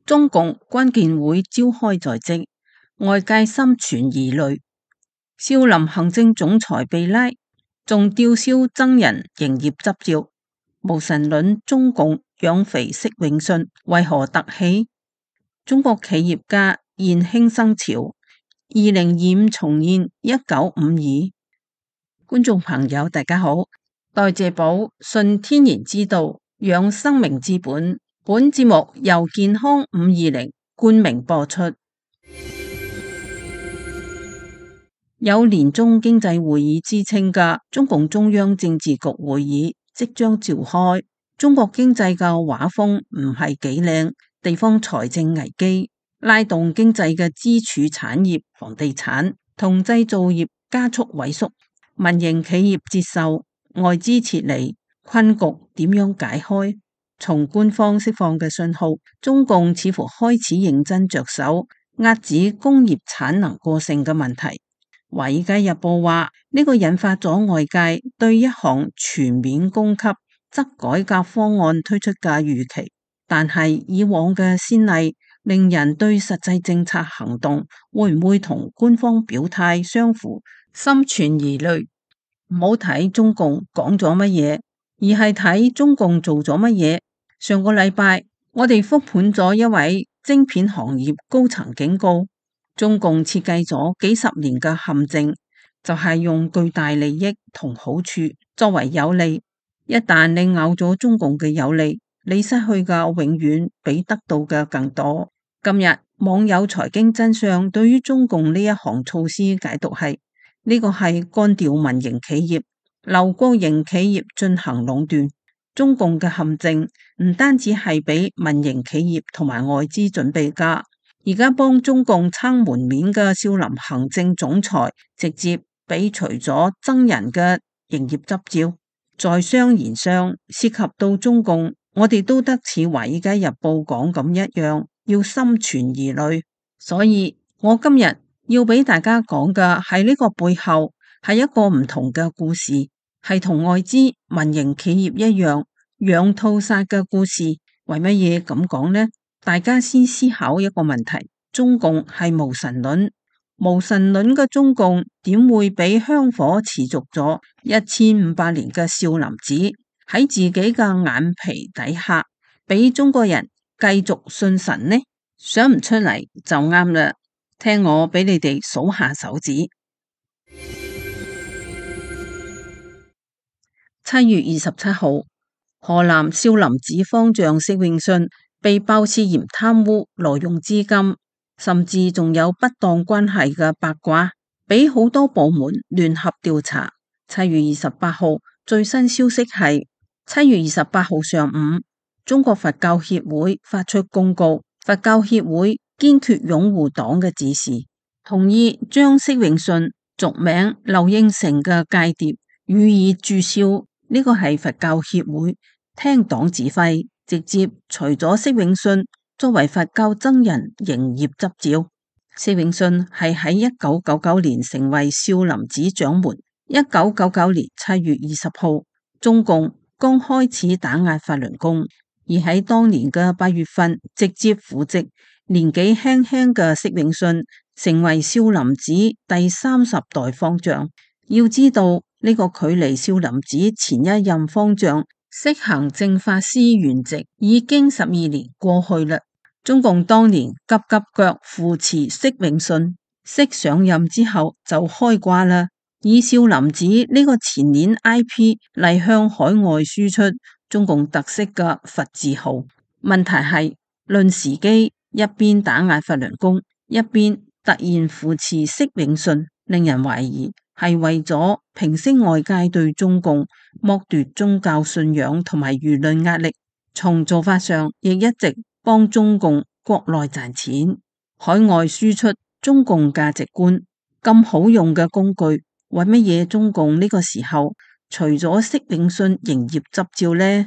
中共關鍵會召開在即，外界心存疑慮。少林行政總裁被拉，仲吊銷僧人營業執照。無神論中共養肥釋永信，為何突起？中國企業家現輕生潮，2025重現1952。觀眾朋友大家好，代謝寶順天然之道，養生命之本。本節目由健康520冠名播出。有年中經濟會議之稱嘅中共中央政治局會議即將召開。中國經濟嘅畫風唔係幾靚，地方財政危機，拉動經濟嘅支柱產業房地產同製造業加速萎縮，民營企業接受，外資撤離，困局點樣解開？從官方釋放嘅信號，中共似乎開始認真着手遏止工業產能過剩嘅問題。《華爾街日報》話呢個引發咗外界對一項全面供給則改革方案推出嘅預期，但係以往嘅先例令人對實際政策行動會唔會同官方表態相符心存疑慮。唔好睇中共講咗乜嘢，而係睇中共做咗乜嘢。上個禮拜我哋復盤咗一位晶片行業高層警告，中共設計咗幾十年嘅陷阱，就係用巨大利益同好處作為有利，一旦你咬咗中共嘅有利，你失去嘅永遠比得到嘅更多。今日網友財經真相對於中共呢一項措施解讀係，呢個係幹掉民營企業，留國營企業進行壟斷。中共嘅陷阱唔單止係俾民營企業同埋外資準備㗎。而家幫中共撐門面嘅少林行政總裁直接俾除咗僧人嘅營業執照，在商言商，涉及到中共，我哋都得似華爾街日報講咁一樣，要心存疑慮。所以我今日要俾大家講嘅係呢個背後係一個唔同嘅故事，係同外資民營企業一樣養套殺嘅故事。為乜嘢咁講呢？大家先思考一個問題，中共係無神論，無神論嘅中共點會俾香火持續咗1500年嘅少林寺喺自己嘅眼皮底下俾中國人繼續信神呢？想唔出嚟就啱啦，聽我俾你哋數下手指。7月27號，河南少林寺方丈釋永信被爆涉嫌貪污、挪用資金，甚至仲有不當關係嘅八卦，俾好多部門聯合調查。7月28號最新消息係7月28號上午，中國佛教協會發出公告，佛教協會堅決擁護黨嘅指示，同意將釋永信俗名劉應成嘅間諜予以註銷。呢個係佛教協會聽黨指揮，直接除咗釋永信作為佛教僧人營業執照。釋永信係喺1999年成為少林寺掌門。1999年7月20號，中共剛開始打壓法輪功，而喺當年嘅8月份直接扶植年紀輕輕嘅釋永信成為少林寺第30代方丈。要知道呢個距離少林寺前一任方丈釋行正法師圓寂已經12年過去啦。中共當年急急腳扶持釋永信，釋上任之後就開掛啦，以少林寺呢個前年 IP 嚟向海外輸出中共特色嘅佛字號。問題係論時機，一邊打壓法輪功，一邊突然扶持釋永信，令人懷疑係為咗平息外界對中共剝奪宗教信仰同埋輿論壓力。從做法上亦一直幫中共國內賺錢，海外輸出中共價值觀。咁好用嘅工具，為乜嘢中共呢個時候除咗釋永信營業執照呢？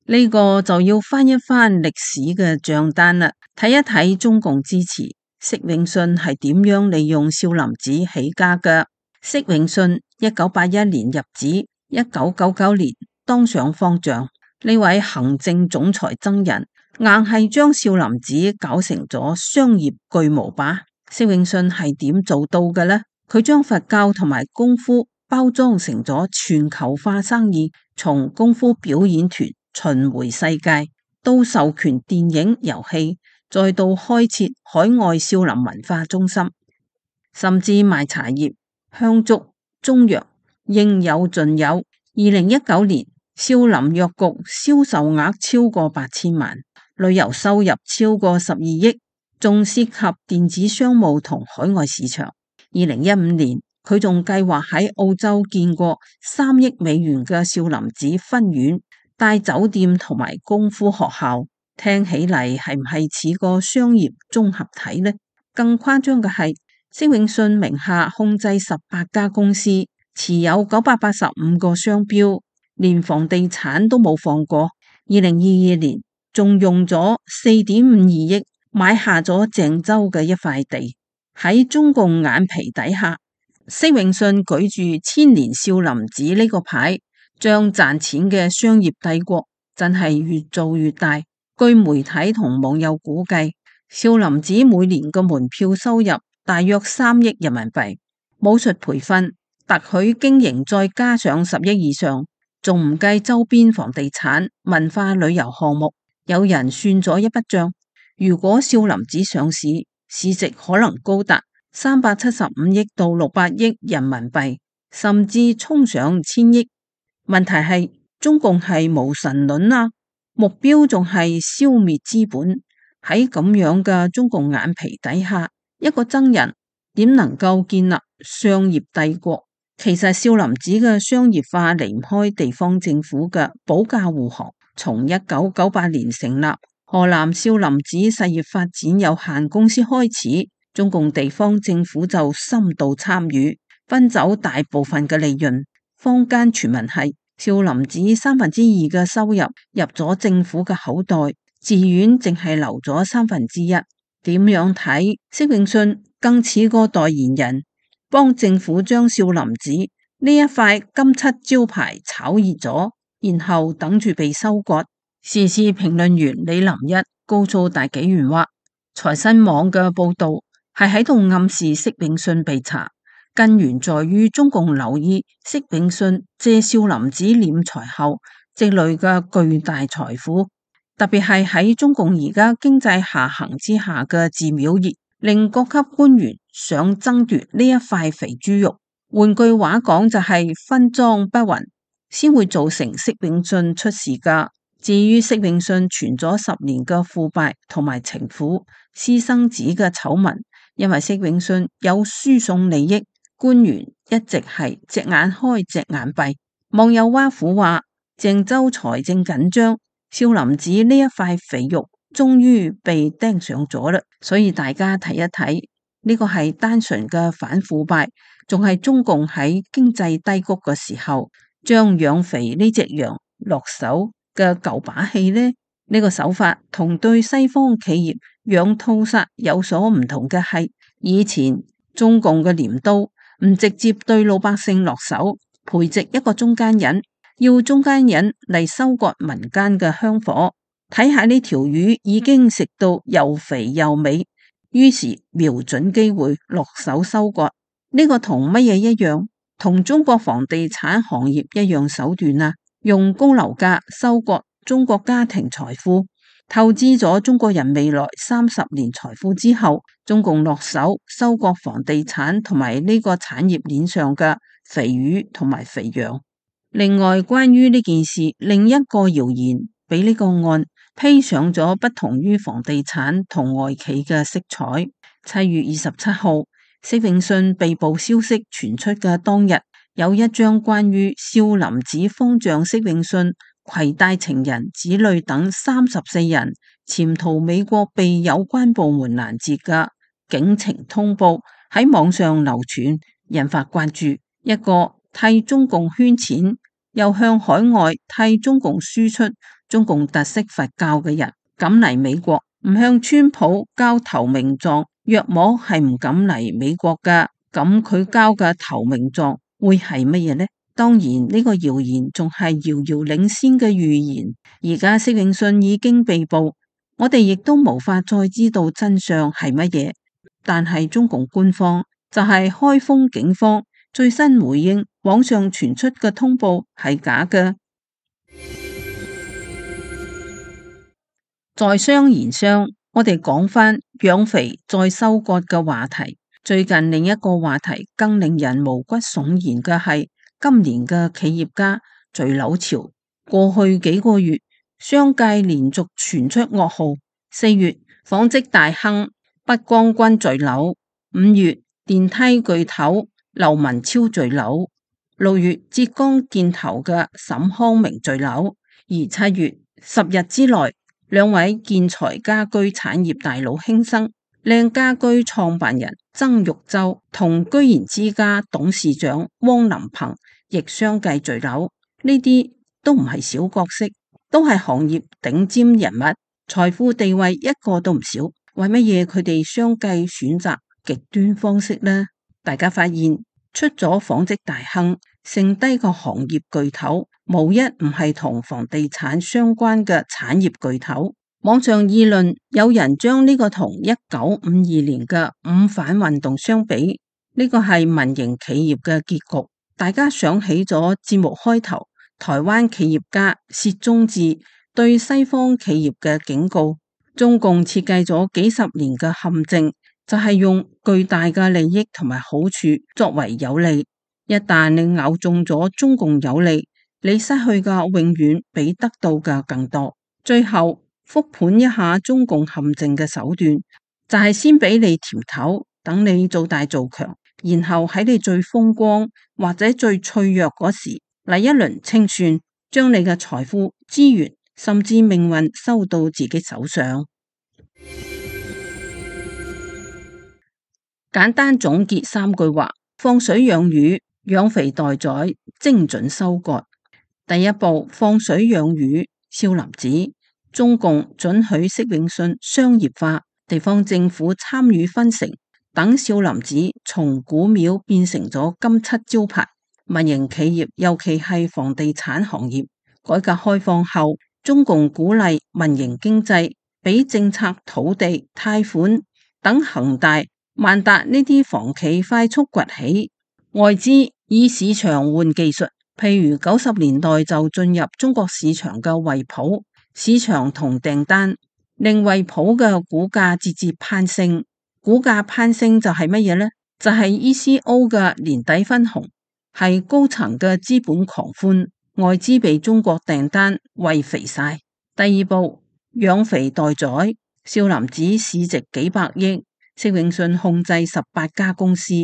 呢個就要翻一翻歷史嘅賬單啦，睇一睇中共支持釋永信係點樣利用少林寺起家嘅。釋永信1981年入寺，1999年當上方丈。呢位行政總裁僧人硬係將少林寺搞成咗商業巨無霸。釋永信係點做到嘅呢？佢將佛教同埋功夫包裝成咗全球化生意，從功夫表演團巡迴世界，到授權電影遊戲，再到開設海外少林文化中心，甚至賣茶葉、香燭、中藥，應有盡有。2019年少林藥局銷售額超過8000萬，旅遊收入超過12億，仲涉及電子商務同海外市場。2015年佢仲計劃喺澳洲建過3億美元嘅少林寺分院、大酒店同埋功夫學校，聽起嚟係唔係似個商業綜合體呢？更誇張嘅係，釋永信名下控制18家公司，持有985個商標，連房地產都冇放過。2022年仲用咗4.52億買下咗鄭州嘅一塊地。喺中共眼皮底下，釋永信舉住千年少林寺呢個牌，將賺錢嘅商業帝國真係越做越大。據媒體同網友估計，少林寺每年嘅門票收入大約3億人民幣，武術培訓、特許經營再加上10億以上，仲唔計周邊房地產、文化旅遊項目。有人算咗一筆賬，如果少林寺上市，市值可能高達375億到600億人民幣，甚至衝上1000億。問題係中共係無神論啊，目標仲係消滅資本。喺咁樣嘅中共眼皮底下，一個僧人點能夠建立商業帝國？其實少林寺嘅商業化離唔開地方政府嘅保駕護航。從1998年成立河南少林寺實業發展有限公司開始，中共地方政府就深度參與，分走大部分嘅利潤。坊間傳聞係少林寺2/3嘅收入入咗政府嘅口袋，寺院淨係留咗1/3。點樣睇？釋永信更似個代言人，幫政府將少林寺呢一塊金漆招牌炒熱咗，然後等住被收割。時事評論員李林一告訴大紀元話，財新網嘅報道係喺度暗示釋永信被查，根源在於中共留意釋永信借少林寺斂財後積累嘅巨大財富，特別係喺中共而家經濟下行之下嘅寺廟業，令各級官員想爭奪呢一塊肥豬肉。換句話講就係分贓不勻，先會造成釋永信出事噶。至於釋永信傳咗10年嘅腐敗同埋情婦、私生子嘅醜聞，因為釋永信有輸送利益，官員一直係隻眼開隻眼閉。網友挖苦話，鄭州財政緊張，少林寺呢一塊肥肉終於被盯上咗啦。所以大家睇一睇，呢個係單純嘅反腐敗，仲係中共喺經濟低谷嘅時候將養肥呢隻羊落手嘅舊把戲呢？呢個手法同對西方企業養套殺有所唔同嘅係，以前中共嘅鐮刀唔直接對老百姓落手，培植一個中間人，要中間人嚟收割民間嘅香火。睇下呢條魚已經食到又肥又美，於是瞄準機會落手收割。呢個同乜嘢一樣？同中國房地產行業一樣手段啊！用高樓價收割中國家庭財富，透支咗中國人未來30年財富之後，中共落手收割房地產同埋呢個產業鏈上嘅肥魚同埋肥羊。另外，關於呢件事，另一個謠言俾呢個案披上咗不同於房地產同外企嘅色彩。7月27號，釋永信被捕消息傳出嘅當日，有一張關於少林寺方丈釋永信攜帶情人、子女等34人潛逃美國被有關部門攔截嘅警情通報喺網上流傳，引發關注。一個替中共圈錢，又向海外替中共輸出中共特色佛教嘅人，敢嚟美國唔向川普交投名狀，約莫係唔敢嚟美國噶。咁佢交嘅投名狀會係乜嘢呢？當然呢個謠言仲係遙遙領先嘅預言。而家釋永信已經被捕，我哋亦都無法再知道真相係乜嘢。但係中共官方就係開封警方最新回應，網上傳出嘅通報係假嘅。在商言商，我哋講返養肥再收割嘅話題。最近另一個話題更令人毛骨悚然嘅係今年嘅企業家墜樓潮。過去幾個月，商界連續傳出噩耗。4月，紡織大亨畢光君墜樓；5月，電梯巨頭劉文超墜樓；6月，浙江建投嘅沈康明墜樓；而7月10日之內，兩位建材家居產業大佬輕生，靚家居創辦人曾玉洲同居然之家董事長汪林鵬亦相繼墜樓。呢啲都唔係小角色，都係行業頂尖人物，財富地位一個都唔少。為乜嘢佢哋相繼選擇極端方式呢？大家發現出咗紡織大亨，剩低個行業巨頭無一唔係同房地產相關嘅產業巨頭。網上議論，有人將呢個同1952年嘅五反運動相比，呢個係民營企業嘅結局。大家想起咗節目開頭台灣企業家薛宗治對西方企業嘅警告。中共設計咗幾十年嘅陷阱，就係用巨大嘅利益同埋好處作為有利。一旦你咬中咗中共有利，你失去嘅永遠比得到嘅更多。最後復盤一下中共陷阱嘅手段，就係先俾你甜頭，等你做大做強，然後喺你最風光或者最脆弱嗰時嚟一輪清算，將你嘅財富資源甚至命運收到自己手上。簡單總結3句話：放水養魚，養肥待宰，精準收割。第一步，放水養魚。少林寺，中共准許釋永信商業化，地方政府參與分成，等少林寺從古廟變成咗金漆招牌。民營企業，尤其係房地產行業，改革開放後，中共鼓勵民營經濟，俾政策、土地、貸款等恒大、萬達呢啲房企快速崛起。外資以市場換技術，譬如90年代就進入中國市場嘅惠普，市場同訂單令惠普嘅股價節節攀升。股價攀升就係乜嘢呢？就係 ECO 嘅年底分紅，係高層嘅資本狂歡，外資被中國訂單餵肥晒。第二步，養肥待宰。少林寺市值幾百億，釋永信控制18家公司，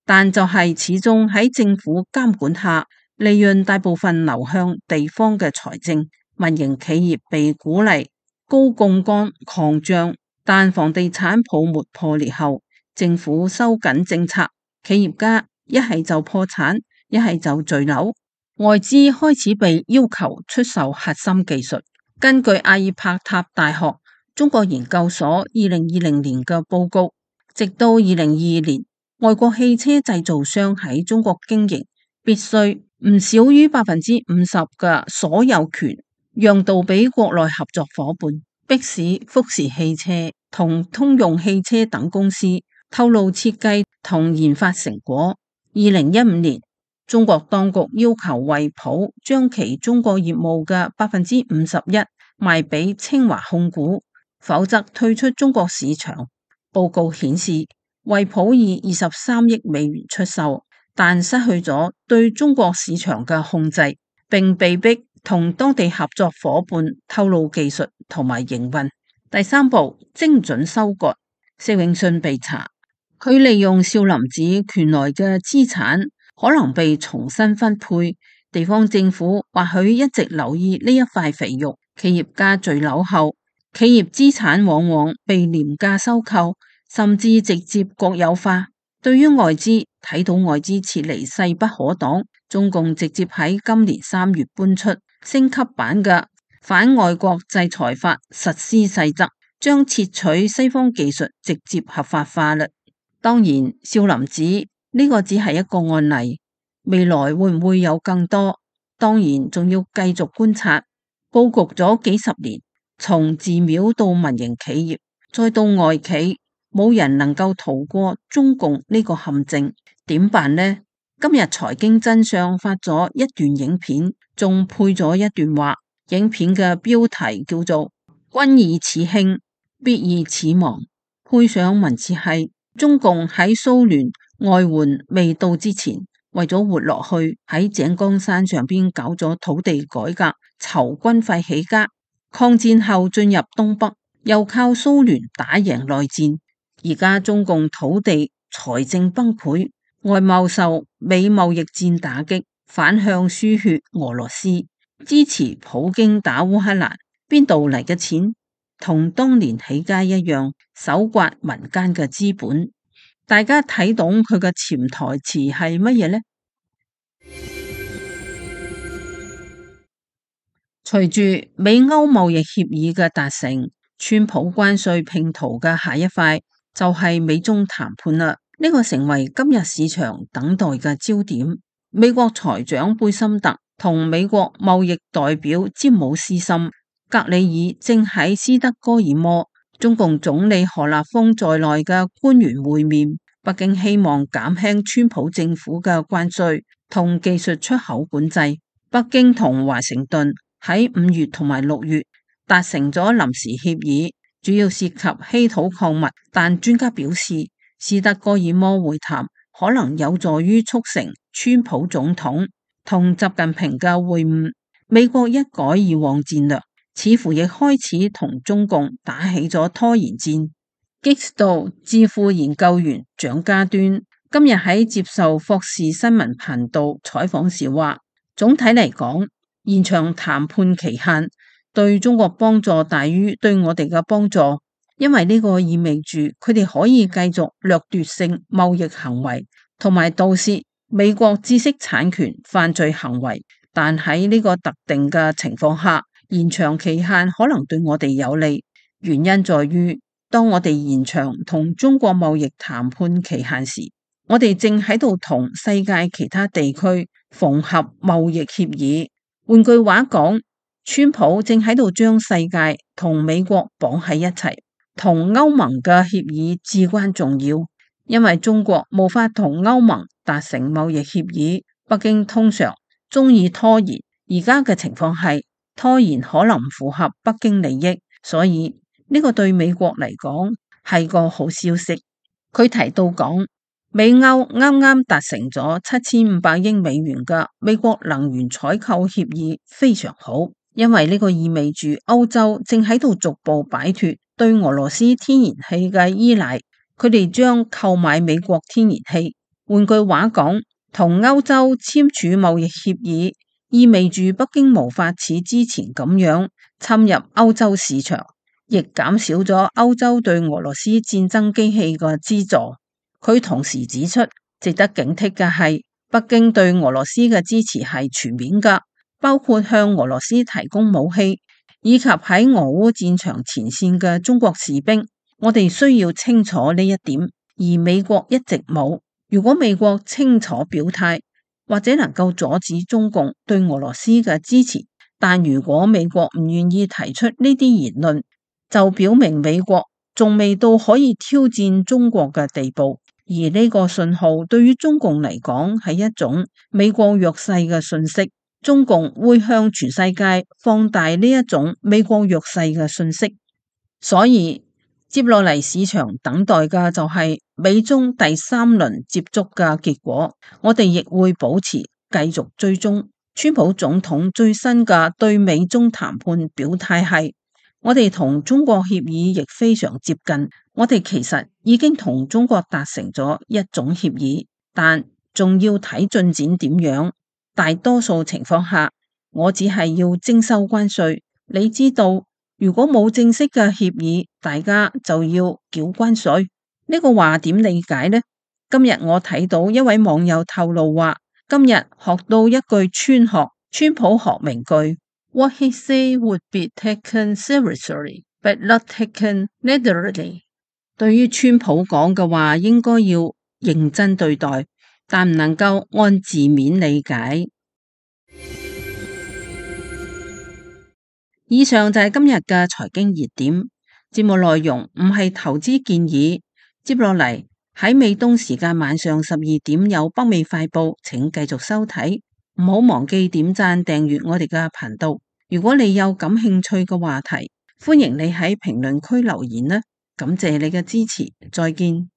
但就係始終喺政府監管下，利潤大部分流向地方嘅財政。民營企業被鼓勵高槓桿擴張，但房地產泡沫破裂後，政府收緊政策，企業家一係就破產，一係就墜樓。外資開始被要求出售核心技術。根據阿爾伯塔大學中國研究所2020年嘅報告，直到2022年，外國汽車製造商喺中國經營必須唔少於50%嘅所有權讓渡俾國內合作夥伴，迫使福士汽車同通用汽車等公司透露設計同研發成果。2015年，中國當局要求惠普將其中國業務嘅51%賣俾清華控股，否則退出中國市場。報告顯示，惠普以23億美元出售，但失去咗對中國市場嘅控制，並被迫同當地合作夥伴透露技術同埋營運。第三步，精準收割。釋永信被查，佢利用少林寺權來嘅資產可能被重新分配，地方政府或許一直留意呢一塊肥肉。企業家墜樓後，企業資產往往被廉價收購，甚至直接國有化。對於外資，睇到外資撤離勢不可擋，中共直接喺今年3月搬出升級版嘅反外國制裁法實施細則，將竊取西方技術直接合法化啦。當然，少林寺呢個只係一個案例，未來會唔會有更多？當然仲要繼續觀察。佈局咗幾十年，從寺廟到民營企業，再到外企，冇人能夠逃過中共呢個陷阱。點辦呢？今日財經真相發咗一段影片，仲配咗一段話。影片嘅標題叫做君以此興，必以此亡。配上文字係中共喺蘇聯外援未到之前，為咗活落去，喺井岡山上邊搞咗土地改革，籌軍費起家。抗戰後進入東北，又靠蘇聯打贏內戰。而家中共土地財政崩潰，外貿受美貿易戰打擊，反向輸血俄羅斯，支持普京打烏克蘭。邊度嚟嘅錢？同當年起家一樣，搜刮民間嘅資本。大家睇懂佢嘅潛台詞係乜嘢呢？隨住美歐貿易協議嘅達成，川普關稅拼圖嘅下一塊就係美中談判啦。呢個成為今日市場等待嘅焦點。美國財長貝森特同美國貿易代表詹姆斯森格里爾正喺斯德哥爾摩，中共總理何立峰在內嘅官員會面。北京希望減輕川普政府嘅關稅同技術出口管制。北京同華盛頓喺5月同埋6月達成咗臨時協議，主要涉及稀土礦物，但專家表示，斯德哥爾摩會談可能有助於促成川普總統同習近平嘅會晤。美國一改以往戰略，似乎亦開始同中共打起咗拖延戰。Gexto智庫研究員蔣家端今日喺接受霍士新聞頻道採訪時話，總體嚟講，延長談判期限對中國幫助大於對我哋嘅幫助，因為呢個意味住佢哋可以繼續掠奪性貿易行為同埋盜竊美國知識產權犯罪行為。但喺呢個特定嘅情況下，延長期限可能對我哋有利，原因在於當我哋延長同中國貿易談判期限時，我哋正喺度同世界其他地區縫合貿易協議。換句話講，川普正喺度將世界同美國綁喺一齊。同歐盟嘅協議至關重要，因為中國無法同歐盟達成貿易協議，北京通常中意拖延。而家嘅情況係拖延可能唔符合北京利益，所以呢個對美國嚟講係個好消息。佢提到講，美歐啱啱達成咗7500億美元嘅美國能源採購協議，非常好，因為呢個意味住歐洲正喺度逐步擺脫對俄羅斯天然氣嘅依賴，佢哋將購買美國天然氣。換句話講，同歐洲簽署貿易協議，意味住北京無法似之前咁樣侵入歐洲市場，亦減少咗歐洲對俄羅斯戰爭機器嘅資助。佢同時指出，值得警惕嘅係，北京對俄羅斯嘅支持係全面㗎，包括向俄羅斯提供武器，以及喺俄烏戰場前線嘅中國士兵。我哋需要清楚呢一點，而美國一直冇。如果美國清楚表態，或者能夠阻止中共對俄羅斯嘅支持，但如果美國唔願意提出呢啲言論，就表明美國仲未到可以挑戰中國嘅地步。而呢個信號對於中共嚟講係一種美國弱勢嘅訊息，中共會向全世界放大呢一種美國弱勢嘅訊息。所以接落嚟市場等待嘅就係美中第3輪接觸嘅結果，我哋亦會保持繼續追蹤。川普總統最新嘅對美中談判表態係，我哋同中國協議亦非常接近，我哋其實已經同中國達成咗一種協議，但仲要睇進展點樣。大多數情況下，我只係要徵收關稅。你知道，如果冇正式嘅協議，大家就要繳關稅。呢個話點理解呢？今日我睇到一位網友透露話，今日學到一句川普學名句。What he say would be taken seriously, but not taken literally。對於川普講嘅話，應該要認真對待，但唔能夠按字面理解。以上就係今日嘅財經熱點，節目內容唔係投資建議。接落嚟喺美東時間晚上12點有北美快報，請繼續收睇。唔好忘記點讚訂閱我哋嘅頻道。如果你有感興趣嘅話題，歡迎你喺評論區留言啦。感謝你嘅支持，再見。